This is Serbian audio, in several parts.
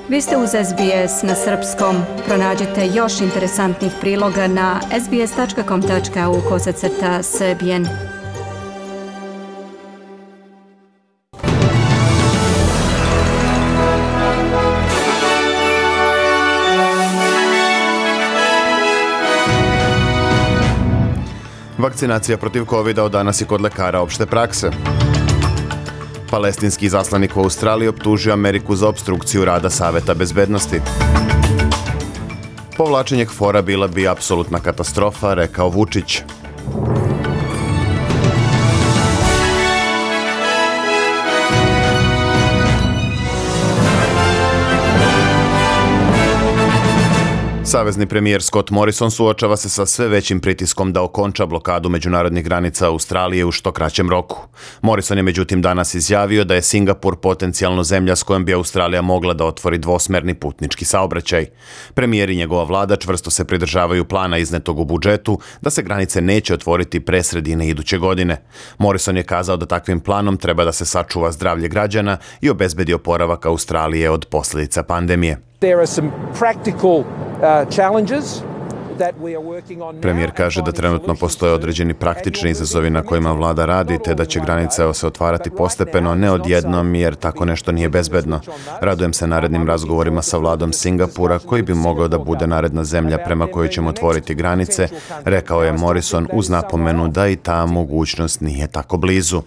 Vi ste uz SBS na srpskom. Pronađite još interesantnih priloga na sbs.com.au/srbijen. Vakcinacija protiv COVID-a od danas i kod lekara opšte prakse. Palestinski izaslanik u Australiji optužio Ameriku za opstrukciju rada Saveta bezbednosti. Povlačenje KFOR-a bila bi apsolutna katastrofa, rekao Vučić. Savezni premijer Scott Morrison suočava se sa sve većim pritiskom da okonča blokadu međunarodnih granica Australije u što kraćem roku. Morrison je međutim danas izjavio da je Singapur potencijalno zemlja s kojom bi Australija mogla da otvori dvosmerni putnički saobraćaj. Premijer i njegova vlada čvrsto se pridržavaju plana iznetog u budžetu da se granice neće otvoriti pre sredine iduće godine. Morrison je kazao da takvim planom treba da se sačuva zdravlje građana i obezbedi oporavak Australije od posljedica pandemije. Premijer kaže da trenutno postoje određeni praktični izazovi na kojima vlada radi, te da će granice se otvarati postepeno, ne odjednom, jer tako nešto nije bezbedno. Radujem se narednim razgovorima sa vladom Singapura, koji bi mogao da bude naredna zemlja prema kojoj ćemo otvoriti granice, rekao je Morrison uz napomenu da i ta mogućnost nije tako blizu.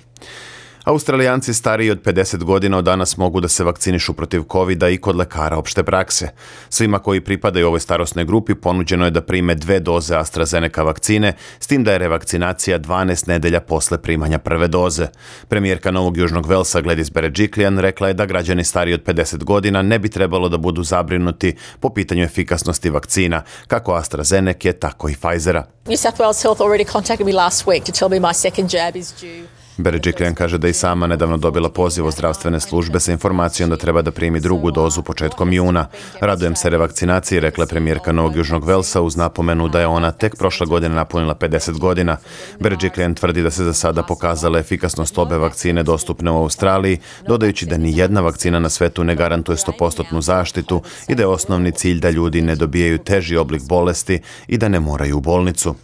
Australijanci stariji od 50 godina od danas mogu da se vakcinišu protiv COVID-a i kod lekara opšte prakse. Svima koji pripadaju ovoj starosnoj grupi ponuđeno je da prime 2 doze AstraZeneca vakcine, s tim da je revakcinacija 12 nedelja posle primanja prve doze. Premijerka Novog Južnog Velsa Gladys Berejiklian rekla je da građani stariji od 50 godina ne bi trebalo da budu zabrinuti po pitanju efikasnosti vakcina, kako AstraZeneca, tako i Pfizera. New South Wales Health already contacted me last week to tell me my second jab is due. Berejiklian kaže da i sama nedavno dobila poziv od zdravstvene službe sa informacijom da treba da primi drugu dozu početkom juna. Radujem se revakcinaciji, rekla je premijerka Novog Južnog Velsa uz napomenu da je ona tek prošle godine napunila 50 godina. Berejiklian tvrdi da se za sada pokazala efikasnost obe vakcine dostupne u Australiji, dodajući da ni jedna vakcina na svetu ne garantuje 100% zaštitu i da je osnovni cilj da ljudi ne dobijaju teži oblik bolesti i da ne moraju u bolnicu.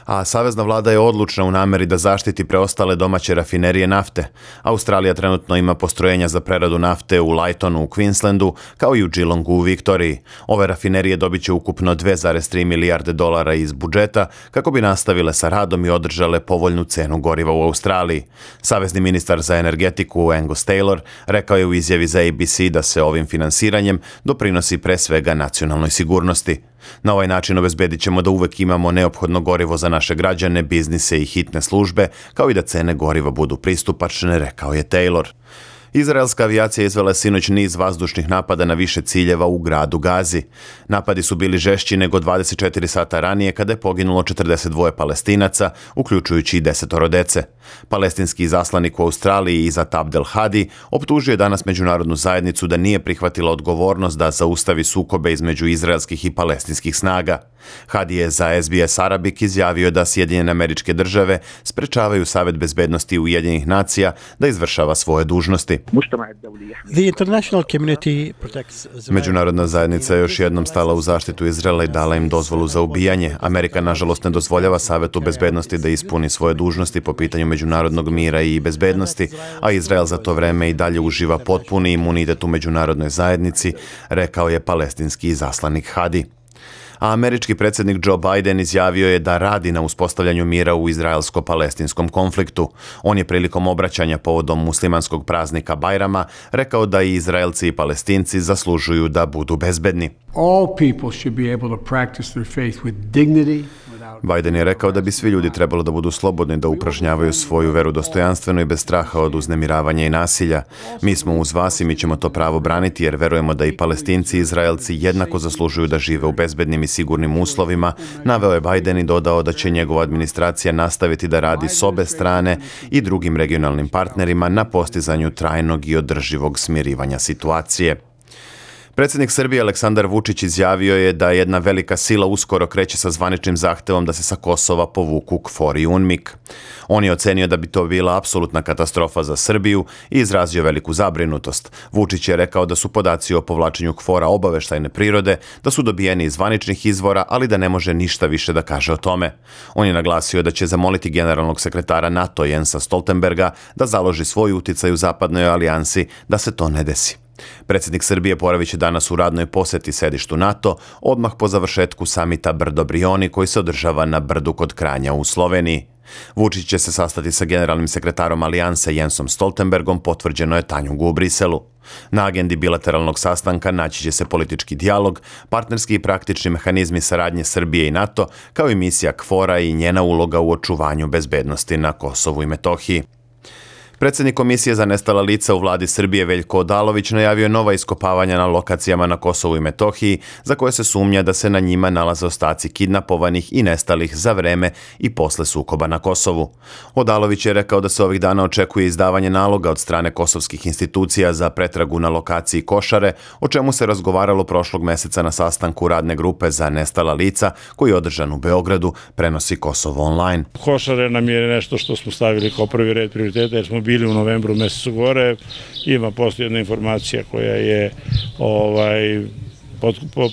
A savezna vlada je odlučna u nameri da zaštiti preostale domaće rafinerije nafte. Australija trenutno ima postrojenja za preradu nafte u Lytonu u Queenslandu, kao i u Geelongu u Viktoriji. Ove rafinerije dobit će ukupno 2,3 milijarde dolara iz budžeta kako bi nastavile sa radom i održale povoljnu cenu goriva u Australiji. Savezni ministar za energetiku Angus Taylor rekao je u izjavi za ABC da se ovim finansiranjem doprinosi pre svega nacionalnoj sigurnosti. Na ovaj način obezbedit ćemo da uvek imamo neophodno gorivo za naše građane, biznise i hitne službe, kao i da cene goriva budu pristupačne, rekao je Taylor. Izraelska avijacija izvela sinoć niz vazdušnih napada na više ciljeva u gradu Gazi. Napadi su bili žešći nego 24 sata ranije kada je poginulo 42 Palestinaca, uključujući i 10 dece. Palestinski izaslanik u Australiji Izat Abdel Hadi optužio je danas međunarodnu zajednicu da nije prihvatila odgovornost da zaustavi sukobe između izraelskih i palestinskih snaga. Hadi je za SBS Arabic izjavio da Sjedinjene Američke Države sprečavaju Savet bezbednosti Ujedinjenih nacija da izvršava svoje dužnosti. Međunarodna zajednica je još jednom stala u zaštitu Izraela i dala im dozvolu za ubijanje. Amerika nažalost ne dozvoljava Savetu bezbednosti da ispuni svoje dužnosti po pitanju međunarodnog mira i bezbednosti, a Izrael za to vreme i dalje uživa potpuni imunitet u međunarodnoj zajednici, rekao je palestinski izaslanik Hadi. A američki predsjednik Joe Biden izjavio je da radi na uspostavljanju mira u izraelsko-palestinskom konfliktu. On je prilikom obraćanja povodom muslimanskog praznika Bajrama rekao da i Izraelci i Palestinci zaslužuju da budu bezbedni. All people should be able to practice their faith with dignity. Biden je rekao da bi svi ljudi trebalo da budu slobodni da upražnjavaju svoju veru dostojanstveno i bez straha od uznemiravanja i nasilja. Mi smo uz vas i mi ćemo to pravo braniti jer verujemo da i Palestinci i Izraelci jednako zaslužuju da žive u bezbednim i sigurnim uslovima, naveo je Biden i dodao da će njegova administracija nastaviti da radi s obe strane i drugim regionalnim partnerima na postizanju trajnog i održivog smirivanja situacije. Predsjednik Srbije Aleksandar Vučić izjavio je da jedna velika sila uskoro kreće sa zvaničnim zahtevom da se sa Kosova povuku KFOR i UNMIK. On je ocenio da bi to bila apsolutna katastrofa za Srbiju i izrazio veliku zabrinutost. Vučić je rekao da su podaci o povlačenju KFOR-a obaveštajne prirode, da su dobijeni iz zvaničnih izvora, ali da ne može ništa više da kaže o tome. On je naglasio da će zamoliti generalnog sekretara NATO Jensa Stoltenberga da založi svoj uticaj u zapadnoj alijansi da se to ne desi. Predsjednik Srbije boravit će danas u radnoj posjeti sedištu NATO, odmah po završetku samita Brdo-Brioni koji se održava na Brdu kod Kranja u Sloveniji. Vučić će se sastati sa generalnim sekretarom alijanse Jensom Stoltenbergom, potvrđeno je Tanjugu u Briselu. Na agendi bilateralnog sastanka naći će se politički dijalog, partnerski i praktični mehanizmi saradnje Srbije i NATO, kao i misija KFOR-a i njena uloga u očuvanju bezbednosti na Kosovu i Metohiji. Predsjednik Komisije za nestala lica u vladi Srbije Veljko Odalović najavio nova iskopavanja na lokacijama na Kosovu i Metohiji za koje se sumnja da se na njima nalaze ostaci kidnapovanih i nestalih za vreme i posle sukoba na Kosovu. Odalović je rekao da se ovih dana očekuje izdavanje naloga od strane kosovskih institucija za pretragu na lokaciji Košare, o čemu se razgovaralo prošlog meseca na sastanku radne grupe za nestala lica koji je održan u Beogradu, prenosi Kosovo online. Košare nam je nešto što smo stavili kao prvi red prioriteta jer smo bili u novembru mesecu gore. Postoji jedna informacija koja je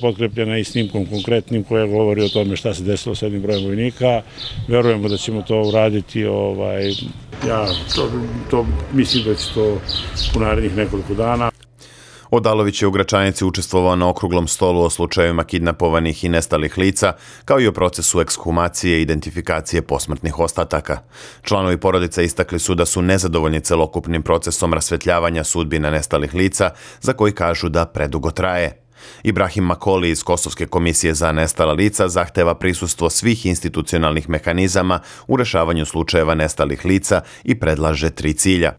potkrepljena i snimkom konkretnim koja govori o tome šta se desilo s jednim brojem vojnika. Verujemo da ćemo to uraditi. Mislim da će to u narednih nekoliko dana. Odalović je u Gračanici učestvovao na okruglom stolu o slučajevima kidnapovanih i nestalih lica, kao i o procesu ekshumacije i identifikacije posmrtnih ostataka. Članovi porodice istakli su da su nezadovoljni celokupnim procesom rasvetljavanja sudbina nestalih lica, za koji kažu da predugo traje. Ibrahim Makoli iz Kosovske komisije za nestala lica zahteva prisustvo svih institucionalnih mehanizama u rešavanju slučajeva nestalih lica i predlaže 3 cilja.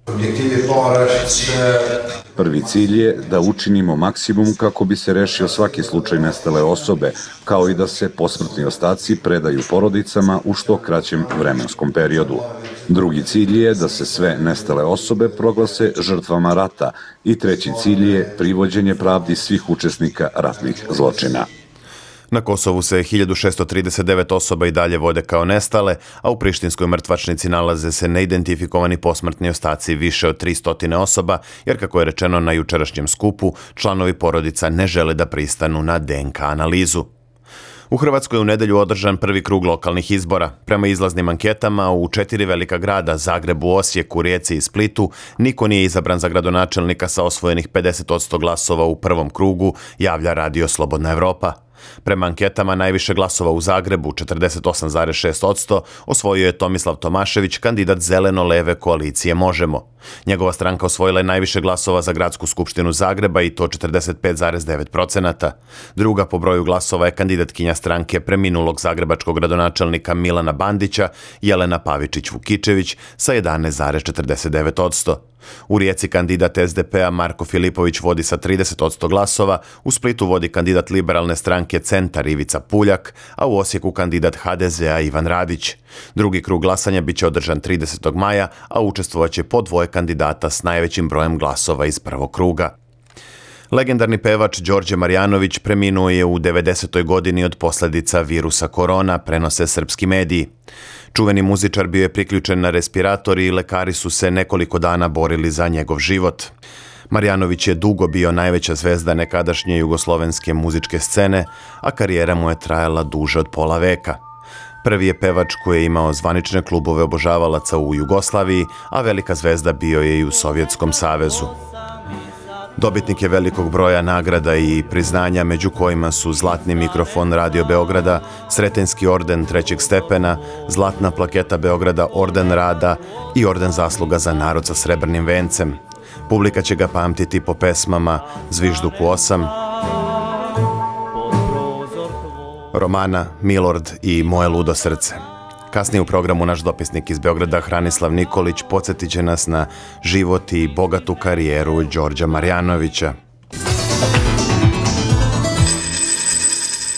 Prvi cilj je da učinimo maksimum kako bi se rešio svaki slučaj nestale osobe, kao i da se posmrtni ostaci predaju porodicama u što kraćem vremenskom periodu. Drugi cilj je da se sve nestale osobe proglase žrtvama rata i treći cilj je privođenje pravdi svih učesnika ratnih zločina. Na Kosovu se 1639 osoba i dalje vode kao nestale, a u prištinskoj mrtvačnici nalaze se neidentifikovani posmrtni ostaci više od 300 osoba, jer kako je rečeno na jučerašnjem skupu, članovi porodica ne žele da pristanu na DNK analizu. U Hrvatskoj je u nedelju održan prvi krug lokalnih izbora. Prema izlaznim anketama u 4 velika grada, Zagrebu, Osijeku, Rijeci i Splitu, niko nije izabran za gradonačelnika sa osvojenih 50% glasova u prvom krugu, javlja Radio Slobodna Evropa. Prema anketama najviše glasova u Zagrebu, 48,6%, osvojio je Tomislav Tomašević, kandidat zeleno-leve koalicije Možemo. Njegova stranka osvojila je najviše glasova za gradsku skupštinu Zagreba i to 45,9%. Druga po broju glasova je kandidatkinja stranke preminulog zagrebačkog gradonačelnika Milana Bandića, Jelena Pavičić-Vukičević, sa 11,49%. U Rijeci kandidat SDP-a Marko Filipović vodi sa 30% glasova, u Splitu vodi kandidat liberalne stranke Centar Ivica Puljak, a u Osijeku kandidat HDZ-a Ivan Radić. Drugi krug glasanja biće održan 30. maja, a učestvovaće po 2 kandidata s najvećim brojem glasova iz prvog kruga. Legendarni pevač Đorđe Marjanović preminuo je u 90. godini od posljedica virusa korona, prenose srpski mediji. Čuveni muzičar bio je priključen na respirator i lekari su se nekoliko dana borili za njegov život. Marjanović je dugo bio najveća zvezda nekadašnje jugoslovenske muzičke scene, a karijera mu je trajala duže od pola veka. Prvi je pevač koji je imao zvanične klubove obožavalaca u Jugoslaviji, a velika zvezda bio je i u Sovjetskom savezu. Dobitnik je velikog broja nagrada i priznanja, među kojima su Zlatni mikrofon Radio Beograda, Sretenjski orden 3. stepena, Zlatna plaketa Beograda, Orden rada i Orden zasluga za narod sa srebrnim vencem. Publika će ga pamtiti po pesmama Zvižduku 8, Romana, Milord i Moje ludo srce. Kasnije u programu naš dopisnik iz Beograda Hranislav Nikolić podsjetit će nas na život i bogatu karijeru Đorđa Marjanovića.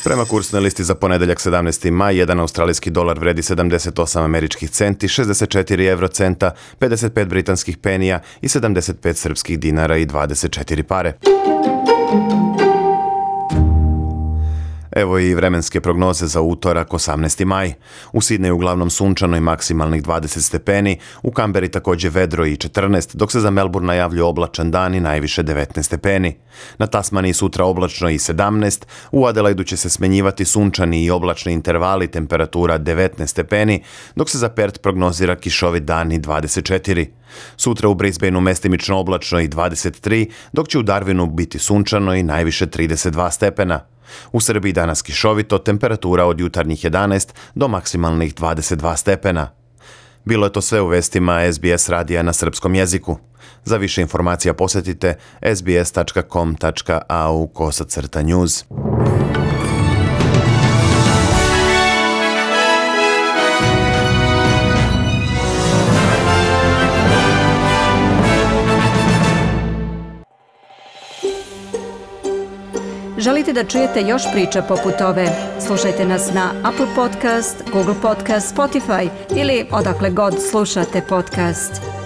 Prema kursnoj listi za ponedeljak 17. maj, 1 australijski dolar vredi 78 američkih centi, 64 eurocenta, 55 britanskih penija i 75 srpskih dinara i 24 pare. Evo i vremenske prognoze za utorak 18. maj. U Sidneju uglavnom sunčano i maksimalnih 20 stepeni, u Kamberi također vedro i 14, dok se za Melbourne najavljuje oblačan dan i najviše 19 stepeni. Na Tasmaniji sutra oblačno i 17, u Adelaidu će se smenjivati sunčani i oblačni intervali, temperatura 19 stepeni, dok se za Perth prognozira kišovit dan i 24. Sutra u Brisbaneu mestimično oblačno i 23, dok će u Darwinu biti sunčano i najviše 32 stepena. U Srbiji danas kišovito, temperatura od jutarnjih 11 do maksimalnih 22 stepena. Bilo je to sve u vestima SBS radija na srpskom jeziku. Za više informacija posjetite sbs.com.au/news. Želite da čujete još priča poput ove? Slušajte nas na Apple Podcast, Google Podcast, Spotify ili odakle god slušate podcast.